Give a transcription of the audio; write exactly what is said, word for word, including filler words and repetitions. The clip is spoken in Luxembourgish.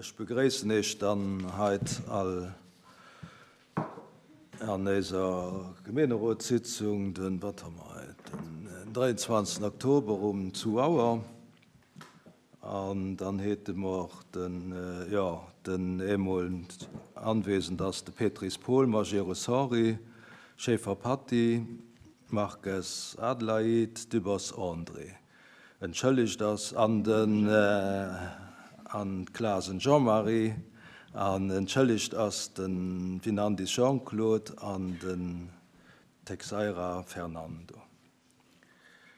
Ech begréissen Iech dann heit all an eiser Gemeenerotssitzung, den, wat hu mer heit, den dräianzwanzegsten Oktober um zwou Auer. An dann hete mer den, jo, den eemol anwesend ass de Petris Paul, Majerus Henri, Schaeffer Patty, Marques Adelaide, Dübbers André. Entschëllegt ass an den an Clasen Jean-Marie an entschëllegt ass de Winandis Jean-Claude an den Texeira Fernando.